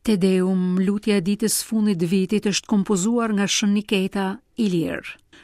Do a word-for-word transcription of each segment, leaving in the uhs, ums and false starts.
Te Deum, lutja e ditës fundit të vitit, është kompozuar nga Shën Niketa Ilir.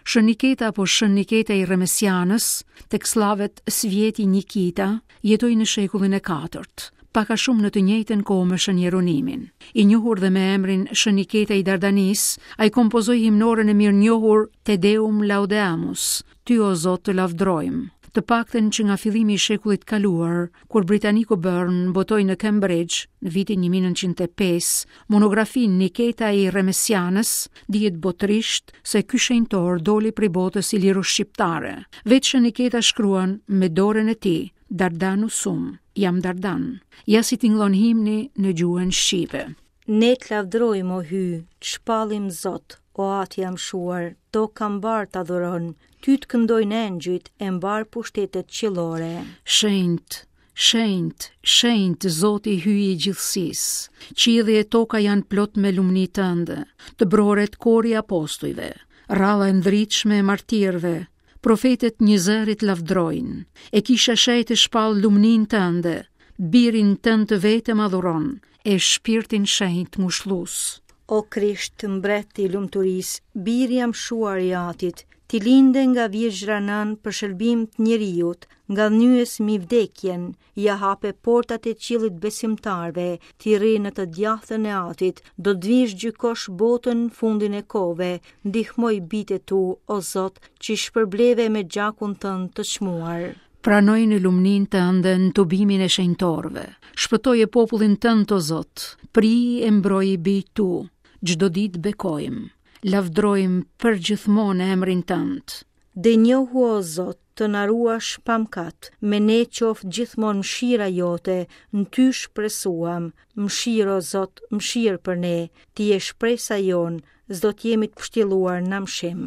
Shën Niketa apo Shën Niketa i Remesianës, tek sllavet Svjeti Nikita, jetoi në shekullin e katërt, pak a shumë në të njëjtën kohë me Shën Jeronimin. I njohur dhe me emrin Shën Niketa i Dardanisë, ai kompozoi himnoren e mirënjohur Te Deum Laudeamus, Ty o Zot të lavdrojmë. Të paktën që nga fillimi i shekullit kaluar, kur Britaniku Burn botoi në Cambridge në vitin një mijë e nëntëqind e pesë monografinë Niketa i Remesianës, dihet botërisht se ky shenjtor doli prej botës iliro-shqiptare. Vetë Shën Niketa shkruan me dorën e tij, Dardanus sum, jam Dardan. Ja si tingëllon himni në gjuhën shqipe. Ne të lavdrojmë, o Hy, të shpallim Zot, o Atë i amshuar, toka mbarë të adhuron, ty të këndojnë engjëjt e mbarë pushtetet qiellore. Shenjt, shenjt, shenjt, Zoti Hyji i gjithësisë. Qielli e toka janë plot me lumni tënde. Të broret kori i apostujve, rralla e ndritshme e martirëve, profetet njëzërit lavdrojnë, e kisha shenjtë shpall lumnin tënde, birin tënd të vetëm adhuron, e shpirtin shenjt ngushllus. O Krisht, mbret i lumturisë, biri amshuar i Atit, ti linde nga virgjra nën për shërbim të njeriut, nga nyes mi vdekjen, ja hape portat e qiellit besimtarve, ti rri në të djathtën e Atit, do të vish gjykosh botën fundin e kove, ndihmoj bitë tu, o Zot, që i shpërbleve me gjakun tënd të çmuar. Pranoj në lumnin tënde në tubimin e shenjtorëve. Shpëtoje popullin tënd, o Zot, pri e mbroj bijtë tu. Çdo ditë bekojmë, lavdrojmë për gjithmonë emrin tënd. Denjohu, o Zot, të na ruash pa mëkat, me ne qoftë gjithmonë mëshira jote, në ty shpresuam, mëshirë, o Zot, mëshirë për ne, ti je shpresa jonë, s'do t'jemi të pështjelluar në mëshim.